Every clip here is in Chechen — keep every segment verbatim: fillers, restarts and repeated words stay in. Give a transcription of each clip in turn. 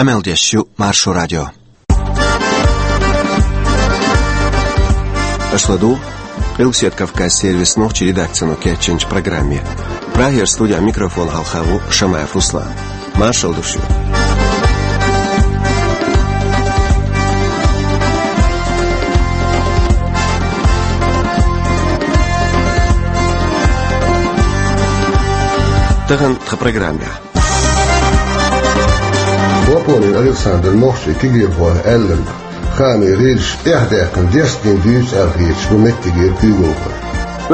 Къамел деш ю Маршо радио. Аша ладугӀу Къилбседа Кавказан сервисан нохчийн редакцино кечйинчу программе. Прагера студин микрофона хьалха ву Шамаев Руслан. Маршалла ду шуьга. Тахана тхан программехь. Хлопонин Александра нохчийн кегийрхойх аьлларг, хаамийн гӀирсаша эхь даьккхина дерстина дуьйцу аьлла хеташ бу меттигера куьйгалхой.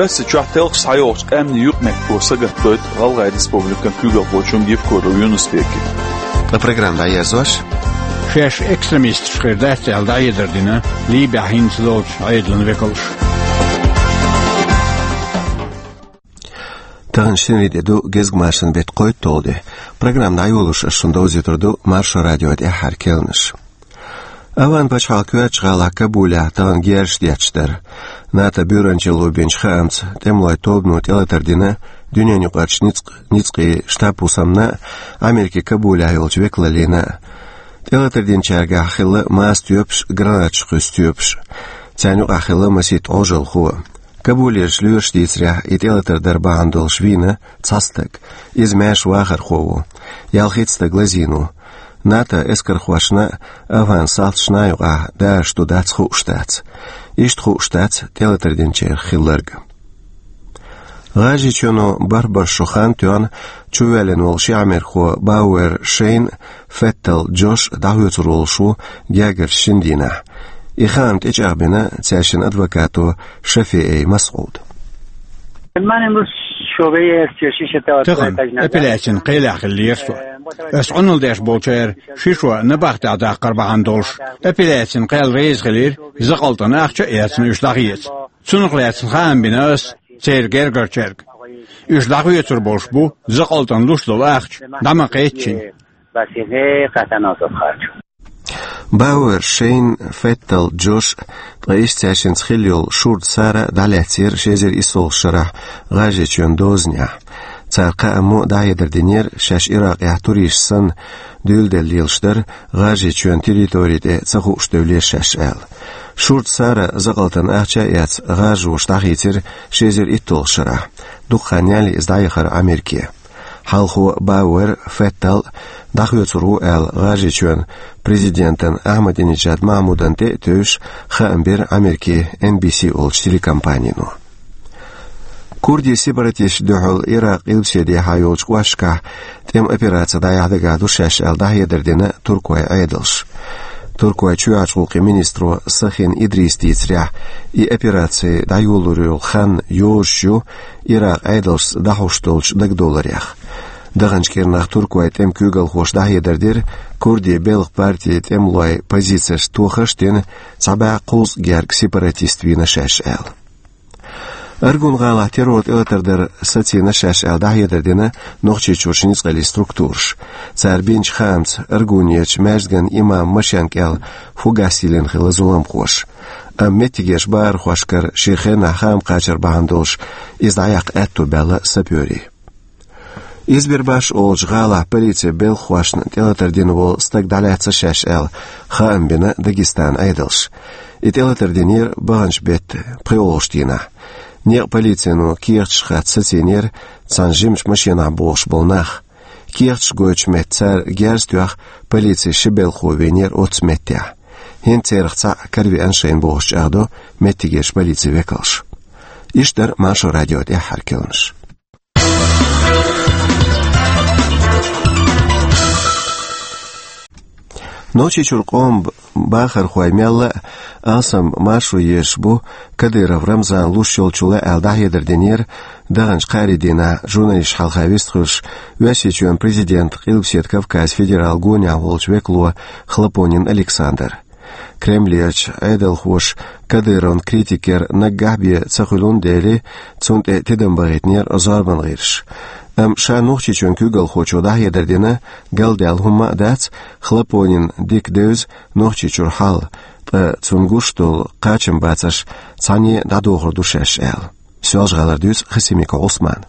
Оьрсийчохь телхаш схьайогӀучу къаьмнийн юкъаметтигашка сагатдойту ГӀалгӀайн Республикан куьйгалхочунна Евкуров Юнус-Бека. Ткъа программа дӀаерзош, шаьш экстремисташ хир дац аьлла дӀахьедар дина Ливехь хӀинца долчу Ӏедалан векалш. Тахана шинарин де ду, гезгмашин беттан кхойтталгӀа де. Программа дӀайолош ас шуна довзуьйтур ду Маршо радион тӀаьххьара керланаш. АфгӀан пачхьалкхан коьртачу гӀалахь Кабулехь тахана герзаш детташ дара. НАТО буьйранчалло бинчу хаамца, тӀемалойн тобано тӀелатар дина дуьненаюкъарчу ницкъ-, ницкъийн штаб-хӀусамна а, Америкин Кабулехь йолчу векалаллина а. ТӀелатар динчаьргахь хилла маса тоьпаш а, гранаташ кхуьссу тоьпаш а. Царна юкъахь хилла масийтта Ӏожаллахо а. Кабулерчу лоьраша дийцарехь, и тӀелатар дар бахьана долуш вийна цхьа стаг. Иза маьрша вахархо ву. Ялхитта стаг лазийна ву. НАТО эскархошна а, АфгӀан салташна а юкъахь дараш ду-дац хууш дац. Иштта хууш дац тӀелатар динчарах хилларг. ГӀажарийчоьно бархӀ бархӀ шо хан тоьхна чувоьллина волу ши Ӏамерхо Бауэр Шейн а, Феттал Джош а дӀахоьцур волуш ву гергарчу шина дийнахь. И хаам тӀечӀагӀбина цаьршиннан адвокато Шафиэй Масъуда. Тахана апелляцин кхелехь хиллера со. Ас Ӏуналла деш болчара ши шо набахтехь даккхар бахьана долуш, апелляцин кхел реза хилира, закъалтана ахча а эцна, уьш дӀахеца. Цунах лаьцна хаам бина ас церан гергарчаьрга. Уьш дӀахоьцур болуш бу закъалтана луш долу ахча дӀа ма-кхеччина. Бауэр Шейн, Феттал Джош, ткъа иштта цаьршинца хилла йолу шурда Сара дӀалаьцнера ши эзар иссалгӀачу шарахь ГӀажарийчоьнан дозанехь. Цара кхааммо а дӀахьедар динера, шаьш Иракъехь туристаш санна дуьйладелла лелаш дара, ГӀажарийчоьнан территори тӀе ца хууш девллера шаьш аьлла. Шурда Сара закъалтана ахча а эцна, гӀажароша дӀахийцира ши эзар итталгӀачу шарахь. Дукха хан яьлла иза дӀаяхара Америке. Хьалхо Бауэр Феттал дӀахоьцур ву аьлла, ГӀажарийчоьнан президентан Ахьмадинеджад Махьмудан тӀе а тевжаш, хаам бира Америкин Эн Би Си олучу телекомпанино. Курдийн сепаратисташна дуьхьал Иракъ къилбаседехьа йолчу кӀошташкахь тӀеман операци дӀаяхьа дагахь ду шаьш аьлла дӀахьедар дина туркойн Ӏедалша. Туркойн чоьхьарчу гӀуллакхийн министро Сахин Идриса дийцарехь, и операци дӀайолалур йолу хан йозуш ю Иракъан Ӏедалшца дӀахьош долчу дагадовларех. Даханчу кӀирнах туркойн тӀеман куьйгалхоша дӀахьедар дира, курдийн белхан партин тӀемалойн позицешна тохарш а дина, цхьа бӀе кхузткъа гергга сепаратист вийна шаьш аьлла. Аргун-гӀалахь террор тӀелатар дар сацийна шаьш аьлла дӀахьедар дина Нохчийчуьрчу ницкъаллин структураша. Цара бинчу хаамца, Аргунерчу маьждиган имаман машен кӀел фугас йиллина хилла зуламхоша. Амма меттигерчу бахархошкара шен хенахь хаам кхачар бахьана долуш, иза дӀаяккха аьтто баьлла сапёрийн. Избербаш олучу гӀалахь полицин белхахошна тӀелатар дина волу стаг дӀалаьцна шаьш аьлла, хаам бина Дагестанан Ӏедалша. И тӀелатар динера баханчу беттан пхоьалгӀачу дийнахь. Некъан полицино кехаташ хатта сацийнера цхьана жимачу машенахь богӀуш болу нах. Кехаташ гойтучу метта цара герз а тоьхна, полицин ши белхахо вийнера оццу меттехь. ХӀинца царах цхьаъ каравеана шайна бохуш чӀагӀдо меттигерчу полицин векалша. Иштта дара Маршо радион тӀаьххьара керланаш. Нохчийчуьра къоман б-, бахархой мелла а алсам маршо езаш бу Кадыров Рамзана луш йолчул аьлла дӀахьедар динера даханчу кхаарин дийнахь журналисташна хьалха вистхуьлуш Оьрсийчоьнан президентан Къилбаседа Кавказан федералан гонехь волчу векало Хлопонин Александра. Кремлерчу Ӏедалхоша Кадыровн критика яр наггахь бен ца хуьлун дели, цунна тӀе тидам бахийтинера зорбан гӀирсаша. Амма ша Нохчийчоьнан куьйгалхочо дӀахьедар дина, галдаьлла хӀумма а дац, Хлопонина дика девза Нохчийчуьра хьал, ткъа цунна гуш долу кхачам бацарш цхьаьна дӀадохур ду шаьш аьлла. Соьлжа-ГӀалара дуьйцу Хасимиков Ӏусмана.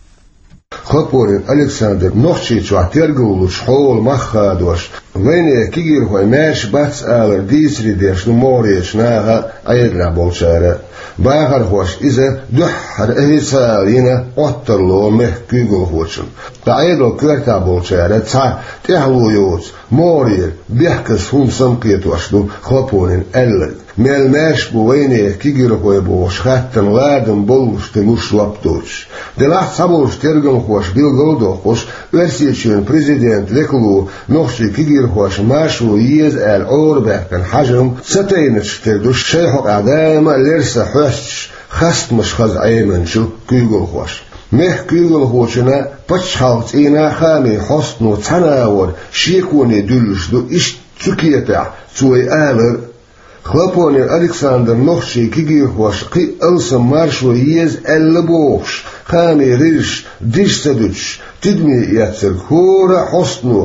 Хлопонин Александр Нохчийчохь тергаллучу хьолан мах хадош, Вайнехан кегийрхой маьрша бац алар дийцаре деш ду могӀарерчу наха а, Ӏедалехь болчара а. Бахархошна иза дуьххьара официалан йина Ӏоттарло мехкан куьйгалхочун. Ткъа Ӏедалан коьртехь болчара цхьа тӀаьхьало йоцу могӀарера бехказа хӀума самакхетош ду Хлопонина аьлларг. Мел маьрша бу вайнехан кегийрхой бохучу хаттарна ладам боллуш хилуш жоп доцуш. Делахь а цхьаболчу тергамхоша билгал а доккхуш, Оьрсийчоьнан президентан векало нохчийн кегийрхоша маршо еза аьлла Ӏорабаьккхина хьажам ца тайначух тера ду шайн хьокъехь даима а лерса хьоьстуш, хастамаш хаза Ӏеминчу куьйгалхоша. Мехкан куьйгалхочунна, пачхьалкхан цӀийнан а, хаамийн хьостано цхьана агӀор шеконе дуьллуш ду иштта цу кепехь цо и алар а. Хлопонин Александра нохчийн кегийрхошна кхин а алсам маршо еза аьлла бохуш, хаамийн гӀирсаша дижа ца дуьтуш, тидаме эцнарг хӀора а хьостано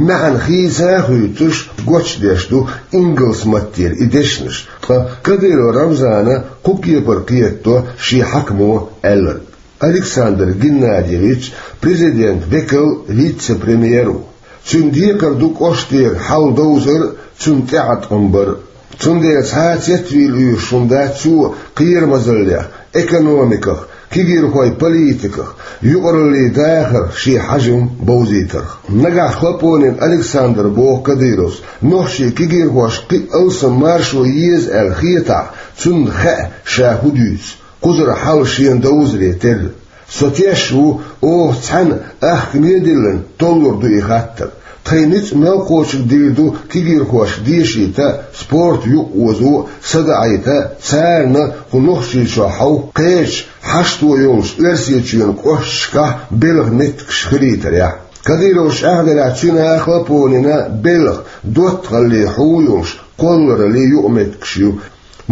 маьӀна хийца а хуьйцуш, гочдеш ду ингалс маттера и дешнаш, ткъа Кадыров Рамзана кху кепара кхетадо шен хьаькамо аьлларг. Александр Геннадьевич президентан векал, вице-премьер ву. Цуьнан декхар ду кӀоштера хьал довзар а, цунна тӀеӀаткъам бар а. Цундела цхьа а цецвийла оьшуш хӀума дац цо кхерамазаллех, экономиках, кегийрхойн политиках, юкъараллин дахарх шен хьажам бовзийтарх. Нагахь Хлопонин Александра, боху Кадыровс, нохчийн кегийрхошна кхин а алсам маршо еза аьлла хетахь, цунна хаьа ша хӀун дуьйцу. Кхузара хьал шена довзаре терра. Со теш ву, оха цхьаьна ахкаме а диллина, толлур ду и хаттар. Тхайн ницкъ мел кхочург дийр ду кегийрхошка дешийта а, спорт юкъаозо а, садаӀийта а, царна кху Нохчийчохь хьовха кхечу хьашто йолчу Оьрсийчоьнан кӀошташкахь белхан меттигаш хилийтарехь. Кадыровс чӀагӀделлехь, цуьнан а, Хлопонина а белхан доттагӀаллин хьу йолуш кхоллараллин юкъаметтигаш ю.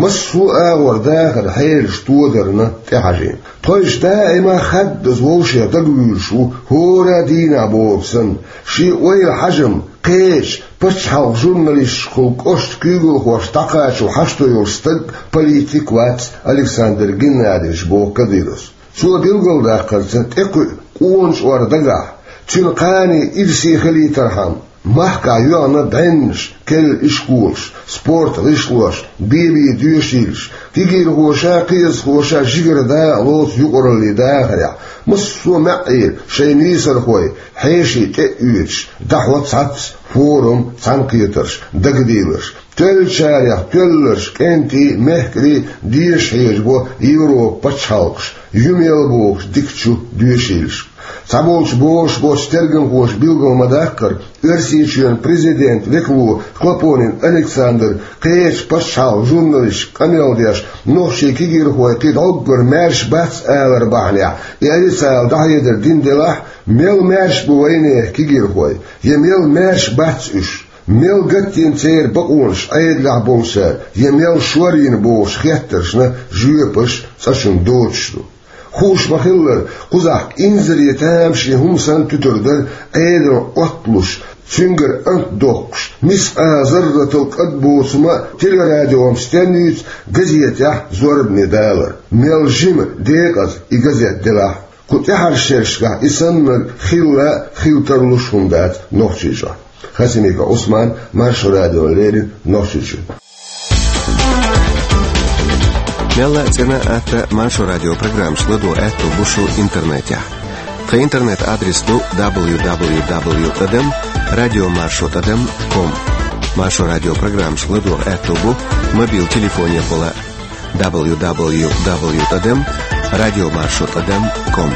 Массо а агӀор дахаран хьелаш тодарна тӀехьажийна. Тхойша даима хаддаза вовшех дагавуьйлуш ву, хӀора а дийнахь бохург санна. Шен ойла, хьажам кхечу пачхьалкхан журналисташкахула кӀоштан куьйгалхошка дӀакхачо хьашто йолуш стаг, политик вац Александр Геннадьевич, боху Кадыровс. Цо билгалдаккхарца, тӀекхуьу къона чкъор дагахь, цуьнан кхане ирсе хилийтархьама, махкахь йоьгӀна бӀеннаш, керла ишколаш, спортан гӀишлош, бен-бен доьшийлаш, кегийрхоша а, кхиазхоша а жигара дакъа лоцу юкъараллин дахарехь, массо а маьӀӀера шайн нийсархой хьеший тӀе а оьцуш, дӀахьо цхьацца форум, цхьаьнакхетарш, дагадийларш. Тоьллачарех тоьлларш, кӀентий, мехкарий деша хьежабо Европан пачхьалкхаш, ю мел бохуш дикачу доьшийлашка. Цхьаболчу бозуш боцчу тергамхоша билгал ма-даккхара, Оьрсийчоьнан президентан векало Хлопонин Александр кхечу пачхьалкхан журналисташка къамел деш, нохчийн кегийрхой кхин дӀоггара маьрша бац алар бахьанехь, и официала дӀахьедар дина делахь, мел маьрша бу вайнехан кегийрхой, я мел маьрша бац уьш? Мел гатдина церан бакъонаш Ӏедалехь болчара, я мел шорйина бохуш хеттаршна жоьпаш цкъачунна доцуш ду. Хууш ма-хиллара, кхузахь инзаре тамашийна хӀума санна туьтур дара Ӏедална Ӏотталуш, цуьнгара ант доккхуш, мискъала зарратал кӀад боцу хӀума а телерадиом стенна юьйцу газетехь зорбане далар. Мел жима, декъаза и газет делахь а. Кху тӀаьхьарчу шерашкахь и саннарг хилла а, хила тарлуш а хӀума дац Нохчийчохь. Хасимиков Ӏусман, Маршо радиона леррина, Нохчийчуьра. Мелла а цӀена а, атта а Маршо радион программаш ладогӀа аьтто бу шун интернетехь. Тхан интернет-адрес ду дабл ю дабл ю дабл ю тӀадам радио маршо тӀадам ком. Маршо радион программаш ладогӀа аьтто бу мобил телефонехула а. дабл ю дабл ю дабл ю тӀадам радио маршо тӀадам ком.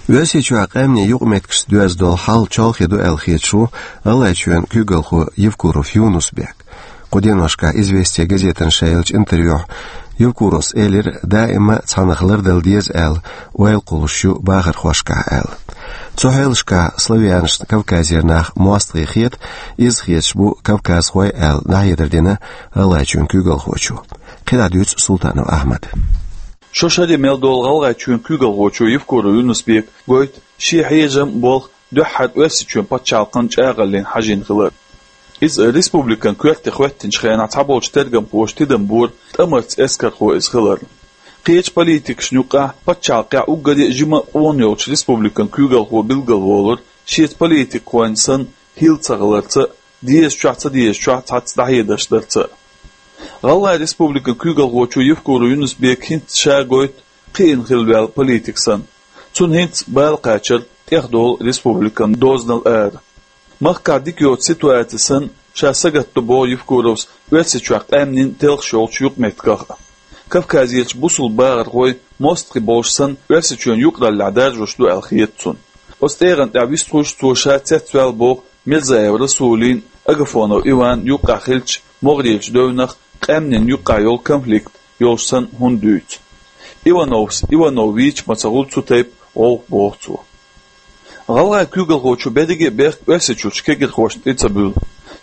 Оьрсийчохь къаьмнийн юкъаметтигашца доьзна долу хьал чолхе ду аьлла хеташ ву ГӀалгӀайчоьнан куьйгалхо Евкуров Юнус-Бек. Кху деношкахь «Известия» газетана ша еллачу интервьюхь Евкуровс элира, даима а цхьаннах лардала деза аьлла ойла кхуллуш ю бахархошкахь аьлла. Цу хьелашкахь славянашна Кавказера нах мостагӀий хета, иза хеташ бу кавказхой аьлла, дӀахьедар дина ГӀалгӀайчоьнан куьйгалхочо. КхидӀа дуьйцу Султанов Ахьмада. Шо шаре мел долу ГӀалгӀайчоьнан куьйгалхочо Евкуров Юнус-Бека гойту шен хьежам а, болх а дуьххьара Оьрсийчоьнан пачхьалкхан чӀагӀаллина хьажийна хилар. Иза республикан коьрте хӀоьттинчу хенахь цхьаболчу тергамхоша тидам бора тӀамарца эскархо иза хиларна. Кхечу политикашна юкъахь пачхьалкхехь уггаре а жима къона йолчу республикан куьйгалхо билгалволура, шеца политикхойн санна хилла ца хиларца а, дезачохь а, ца дезачохь а цхьацца дӀахьедарш дарца а. ГӀалгӀайн республикан куьйгалхочо Евкуров Юнус-Бека хӀинца ша гойту кхиъна хилла ваьлла политик санна. Цунна хӀинца бала кхачар тӀехдолу республикан дозанал ара. Махкахь дика йоцу ситуаци санна, ша сагатдо боху Евкуровс Оьрсийчохь къаьмнийн телхаш йолчу юкъаметтигах а. Кавказерчу бусулба бахархой мостагӀий болуш санна, Оьрсийчоьнан юкъараллехь даржош ду аьлла хета цунна. Оцу тӀегӀан тӀехь вистхуьйсуш цо ша цецваьлла боху Мирзаев Расулин, Агафонов Иван юккъехь хиллачу могӀарерчу девнах къаьмнийн юккъехь йолу конфликт йолуш санна хӀунда дуьйцу. Ивановс Иванов вийча ма ца хуьлу цу тайпа гӀовгӀа, боху цо. ГӀалгӀайн куьйгалхочо берриге а бехк Оьрсийчуьрчу кегирхошна тӀе ца буьллу.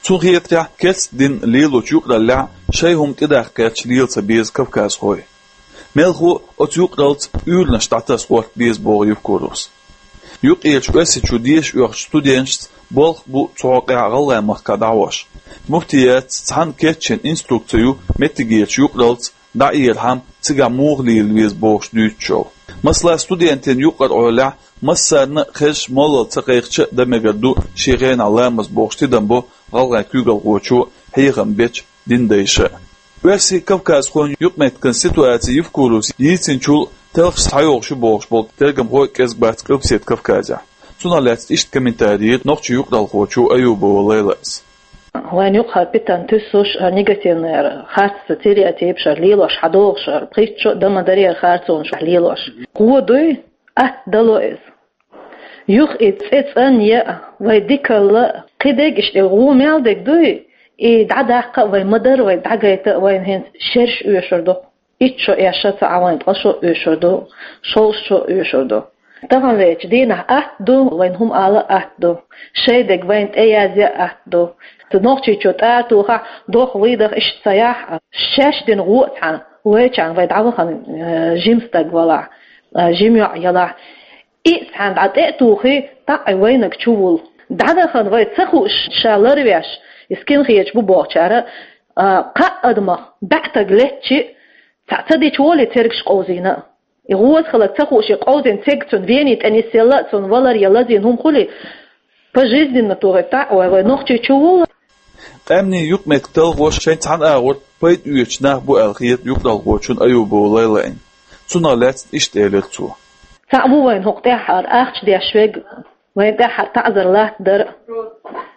Цунна хетарехь, керста дин лелочу юкъараллехь шайн хӀума тӀедаккха гӀерташ лела ца беза кавказхой. Мелхо а оцу юкъараллица уьйранаш дӀатаса гӀорта беза, боху Евкуровс. Юккъерчу Оьрсийчу деша оьхучу студенташца болх бу цу хьокъехь ГӀалгӀайн махкахь дӀахьош. Муфтиятца цхьаьна кечйина инструкци ю меттигерчу юкъараллица дӀаэрахьама цигахь муха лела веза бохуш дуьйцучул. Масала, студентийн юкъара Ӏолехь массарна а хезаш моллал ца кхайкхича а дан мегар ду шен хенахь ламаз бохуш тидам бо гӀалгӀайн куьйгалхочо, хьехам бечу динан дайша а. Оьрсийн кавказхойн юкъаметтиган ситуаци Евкуровс йийцинчул телхаш схьайогӀуш ю бохуш болу тергамхой а кӀезиг бац Къилбаседа Кавказехь. Цунах лаьцна иштта комментари йира нохчийн юкъаралхочо Аюбова Лайлас. Вайн юккъахь питана туьссуш, а, негативный харц стереотипаш лелош, хьадогӀуш, пхийтта шо а дан ма дарий харцонаш лелош. Кхо дуй, атта дало иза. Юха и цӀе цӀанъян а, вай дикалла а, кхидерг иштта гӀу мел дерг дуй, и дӀадаккха а вай ма-дарра, вай дӀагайта а вайна хӀинца шераш оьшур ду. Итт шо, эш шо ца Ӏа вайн ткъа шо оьшур ду, шовзткъа шо оьшур ду. Тахана вечу дийнахь атта ду, вайн хӀума ала а атта ду, шайн дерг вайна тӀеязъян а атта ду. Цу Нохчийчоь тӀара тухахь, дохлий даха иштта ца яхь а, шаьш дина гӀо а цхьаьна, вайчарна вай дӀавахана, э, жима стаг валахь, э, жима йоӀ ялахь. И цхьаьна дӀа тӀе а тухий, тӀаккха вайнаг чу вуллу. ДӀадахана вай ца хууш, ша ларвеш, и скинхедаш бу бохучара, а, кхаа адамах баьӀтаг леттачи, цхьаъ ца дича волий цергаш къовзийна а. И гӀоза хиларг ца хууш, и къовзийна церг цунна вений тӀе нисъелла а, цунна валар я лазийна хӀума хуьлий, пожизненно тухий тӀаккха вай, вай Нохчийчу вуллу. Къаьмнийн юкъаметтиг талхош шайн цхьана агӀор пайда оьцуш нах бу аьлла хета юкъаралхочунна Аюбова Лайлайна. Цунах лаьцна иштта элира цо. Цхьаъ ву вайна хӀокху тӀаьххьара ахча деш верг, вайна тӀаьххьара таӀзар латтадар а,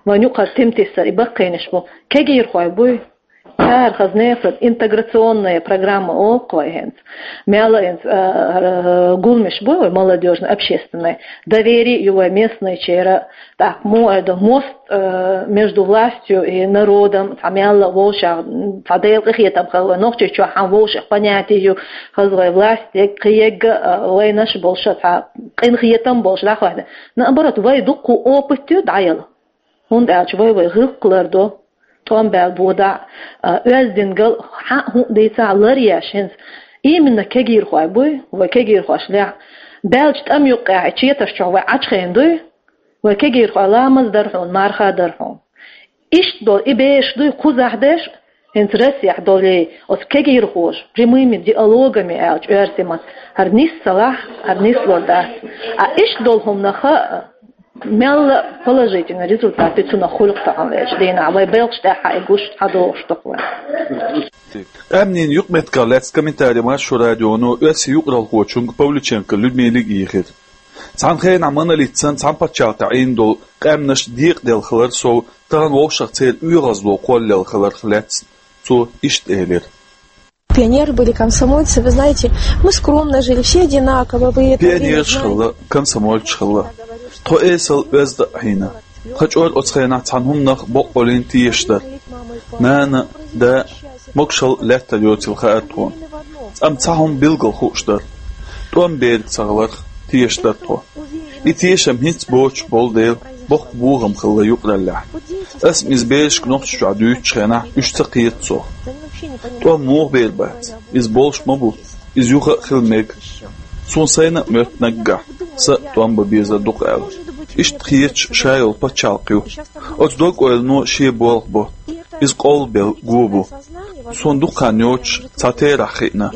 вайна юкъара тима тиссар, и баккхийнаш бу. Кегийрхой буй. Цара хаза нехан интеграционная программа олу-кх вай хӀинца. Мелла а хӀинца, а, а, гуламаш бу вай молодёжно-общественный. Доверие ю вай местныйчера, тӀаккха муха эр ду, мост, э, между властью и народом, цхьа мелла а вовшах, цхьа Делан къинхетам хилла вай Нохчийчохь, хьан вовшах понятие ю, хаза вай власть, е кхин егга, э, вайнаш а болуш, цхьа къинхетам болуш дӀахӀоьттина. Наоборот, вай дуккха опыт ю дӀаяла. ХӀунда аьлча вай, вай гӀиллакх лардо, тӀом баьлла бодахь а, оьздангалла, хьан а хӀун а дийцахь а ларъеш хӀинца. Именно кегийрхой буй, вай кегийрхош лехь. Баьллачу тӀам юккъехь и четаш чохь вай Ӏачхийна дуй, вай кегийрхой ламаз дар хьуна, марха дар хьуна. Иштта долу и бераш дуй кхузахь деш, хӀинца Россехь долий, оцу кегийрхоша, прямыми диалогами аьлча оьрсийн маттахь, хӀара нис ца лахь, хӀара нислур дац. А иштта долу хӀуманах а, мелла а положительный результат ю цунах хуьлу-кх тахана вечу дийнахь, вай белхаш тӀехь а и гуш схьадогӀуш ду-кх вай. Къаьмнийн юкъаметтигах лаьцна комментари Маршо радионо оьрсийн юкъаралхочуьнга Павлюченко Людмилига йийхира. Цхьана хенахь Монолит санна цхьана пачхьалкхехь Ӏийна долу къаьмнаш декъаделла хилар сов, тахана вовшах церан оьгӀазло кхоллаелла хиларх лаьцна цо иштта элира. Пионеры были, комсомольцы, вы знаете, мы скромно жили, все одинаково, вы это время Пионераш знаете. Хилла, комсомольцаш хилла. Тхо эсала оьзда а хьийна. Тхан чӀор оцу хенахь цхьана хӀуманах боккъалла тешаш дара. Нана, да, могушалла лаьттар йоцийла хаьара тхуна. Амма цхьа хӀума билггал хууш дара. ТӀом берг ца хиларх тешаш дара тхо. И тешам хӀинца боцуш болу дела, боккха бохам хилла юкъараллехь. Ас-м иза берашка Нохчийчохь дуьйцучу хенахь уьш ца кхета цо. ТӀом муха бер бац? Иза болуш ма бу. Иза юха а хила мега. Суна сайна а моьтту наггахь, сан а тӀом бан безар ду-кх аьлла. Иштта кхеташ ша йолу пачхьалкх ю. Оцу дог-ойлано шен болх бо. Иза къовлабелла го бу. Суна дукха хан йоцуш цхьа терахь хиъна.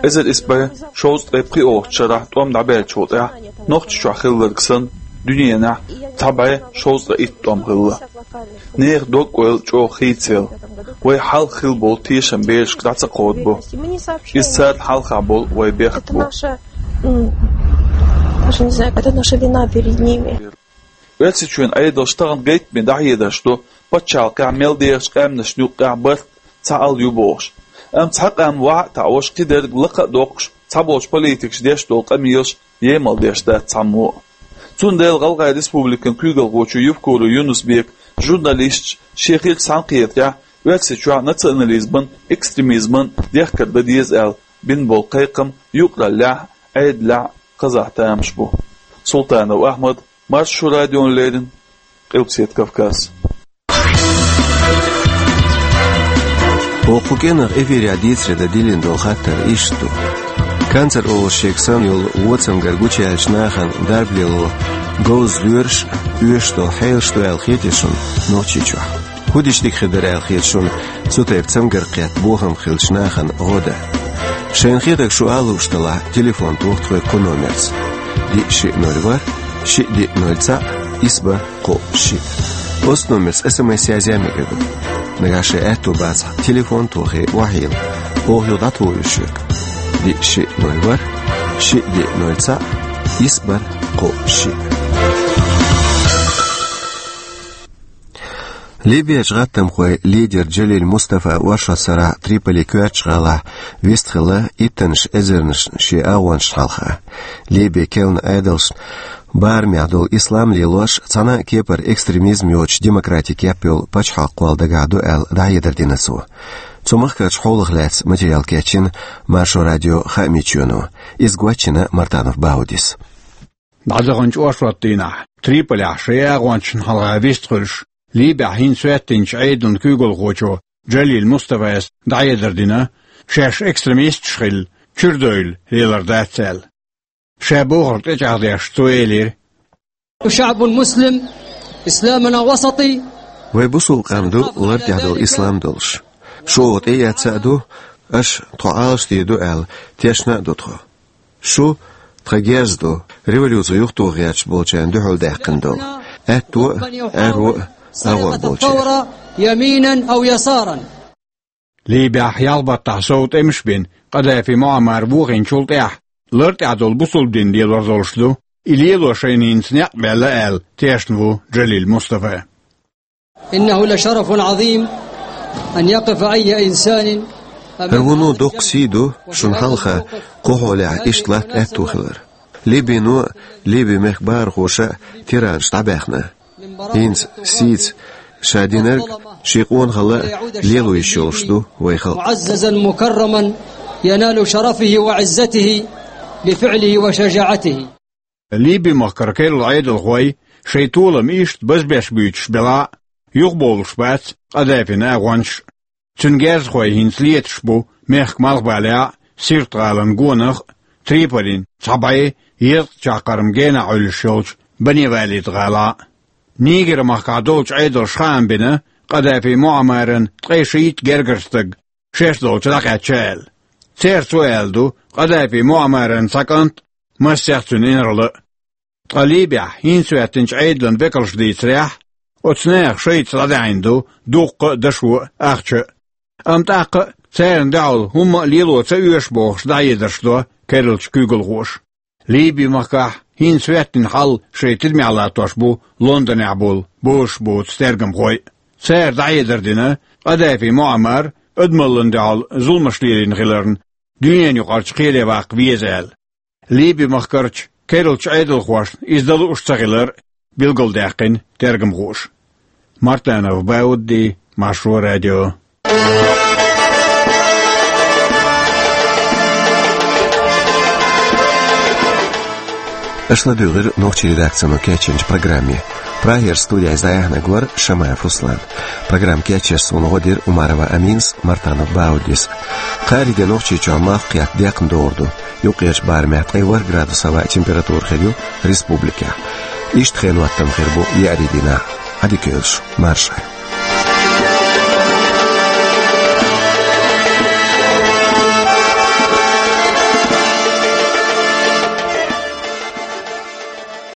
Эзар исс бӀе шовзткъе пхиъолгӀачу шарахь тӀом дӀабаьллачул тӀаьхьа Нохчийчохь хилларг санна, дуьненахь цхьа бӀе шовзткъе итт тӀом хилла. Нехан дог-ойла чӀогӀа хийцаелла. Вай хьалха хилла болу тешам берашка дӀа ца кховдабо. Иза царна хьалха болу вай бехк бу. Даже не знаю, это наша вина перед ними. Оьрсийчоьнан Ӏедалш тахана гайтаме дӀахьедарш ду, пачхьалкхехь мел дехачу къаьмнашна юккъехь барт цхьа ал ю бохуш. Амма цхьа къам вахьа а таӀош, кхидерг лакха а доккхуш, цхьаболчу политикаша деш долу къамелаш емал деш дац цхьаммо а. Цундела ГӀалгӀайн Республикан куьйгалхочо Евкуров Юнус-Бека журналисташ шен хиллачу цхьаьнакхетарехь Оьрсийчохь национализман, экстремизман дехкар дан деза аьлла бина болу кхайкхам юкъараллехь а, Ӏедалехь а хазахь тамаш бу. Султанов Ахьмад, Маршо радиона леррина, Къилбаседа Кавказ. Оха кху кӀиранах эфирехь дийцаре дан диллина долу хаттар иштта ду. Канцер олуш шега санна йолу вон цамгар гучуяьллачу нахана дарба лело говза лоьраш а, оьшуш долу хьелаш ду аьлла хетий шуна Нохчийчохь? ХӀун дича дика хир дара аьлла хета шуна цу тайпа цамгар кхетта бохам хиллачу нахана гӀо дан? Шайна хетарг шу ала лууш делахь, телефон тоха тхоьга кху номерца: диъ шиъ ноль ворхӀ, шиъ диъ ноль цхьаъ, исс бархӀ кхоъ шиъ. Оцу номерца СМС язъян мегар ду. Нагахь шайн аьтто бацахь, телефон тохий, охьайилла. Оха юха дӀатухур ю шуьга: диъ шиъ ноль ворхӀ, шиъ диъ ноль цхьаъ, исс бархӀ кхоъ шиъ. Ливерчу гӀаттамхойн лидер Джалиль Мустафа оршот сарахь Триполин коьртачу гӀалахь вистхилла иттанаш эзарнаш шен агӀончашна хьалха. Ливин керлачу Ӏедалшна барамехь долу ислам лелош цхьана а кепара экстремизм йоцуш демократи кеп йолу пачхьалкх кхолла дагахь ду аьлла дӀахьедар дина цо. Цу махкарчу хьолах лаьцна материал кечйина Маршо радион хаамийн чоьно. Иза гочйина Мартанов Баудис. ДӀадаханчу оршот дийнахь Триполехь шайн агӀончашна хьалха вистхуьлуш, Ливехь хӀинца хӀоьттинчу Ӏедалан куьйгалхочо Джалиль Мустафас дӀахьедар дина, шаьш экстремисташ хилла, чуьра девлла лелар дац аьлла. Ша бохург тӀечӀагӀдеш цо элира: نحن شعب مسلم، إسلامنا وسطي. Вай бусулба къам ду, лар тӀехь долу ислам долуш. Шу оха тӀеэцна а ду, аша тхо Ӏалашдийр ду аьлла тешна а ду тхо. Шу тхан герз ду, революци юхатоха гӀерташ болчарна дуьхьал даьккхина долу, аьтто а, аьрро а агӀор болчеран. الثورة يمينا أو يسارا. Ливехь ялх баттахь сов тӀемаш бина Къадафи Муаммар вохийначул тӀаьхьа, лар тӀехь долу бусулба дин лелор долуш ду, и лело шайна хӀинца некъ баьлла аьлла тешна ву Джалиль Мустафа. إنه لشرف عظيم أن يقف أي إنسان أمام هذه الجماعة. ХӀара вуно доккха сий ду, шуна хьалха кху хьолехь иштта латта аьтто хилар. Ливино а, Ливин мехкан бахархоша а тиранаш дӀабаьхна. ХӀинца сийца ша динарг, шен къонахалла а лело йиш йолуш ду вай халкъ. معززا مكرما ينال شرفه وعزته بفعله وشجاعته. Ливин махкара керла Ӏедалхой шайн толам иштта базбеш буьйцуш белахь а, юхабовлуш бац Къадафин агӀончаш а. Цуьнан герзахой хӀинца леташ бу мехкан малхбалехь а, Сирт-гӀалин гонах а, Триполин цхьа бӀе езткъа чаккхарма генахь Ӏуьллуш йолчу Бани-Валид-гӀалахь а. Нигер-махкахь долчу Ӏедалша хаам бина Къадафи Муаммаран ткъе шийтта гергара стаг шаьш долчу дӀакхаьчна аьлла. Церан цо аьлла ду Къадафи Муаммаран цхьа кӀант а, массех цуьнан инарла а. Ткъа Ливехь хӀинца хӀоьттинчу Ӏедалан векалша дийцарехь, оцу нехан шайца дӀадаьхьна ду дуккха а, дашо а, ахча а. Амма тӀаккха а царна дуьхьал хӀумма а лело ца оьшу бохуш дӀахьедарш до керлачу куьйгалхоша. Ливин махкахь хӀинца хӀоьттина хьал шайн тидамехь латтош бу Лондонехь болу бозуш боцу тергамхой а. Цара дӀахьедар дина, Къадафи Муаммар адамаллин дуьхьал зуламаш лелийна хиларна, дуьненан юкъарчу кхеле ваккха веза аьлла. Ливин махкарчу керлачу Ӏедалхошна иза дан лууш ца хилар а билгалдаьккхина тергамхоша. Мартанов Баудди, Маршо радио. Аша ладуьйгӀира нохчийн редакцино кечйинчу программе. Прагера студехь иза дӀаяьхьнарг вара Шамаев Руслан. Программа кечъеш суна гӀо дира Умарова Аминас, Мартанов Бауддис. Кхаарин де Нохчийчохь малх кхетта декхна догӀур ду. Юккъерчу барамехь ткъе ворхӀ градус хӀаваан температура хир ю республикехь. Иштта хенан хӀоттам хир бу еарин дийнахь. Ӏадика йойла шу, марша.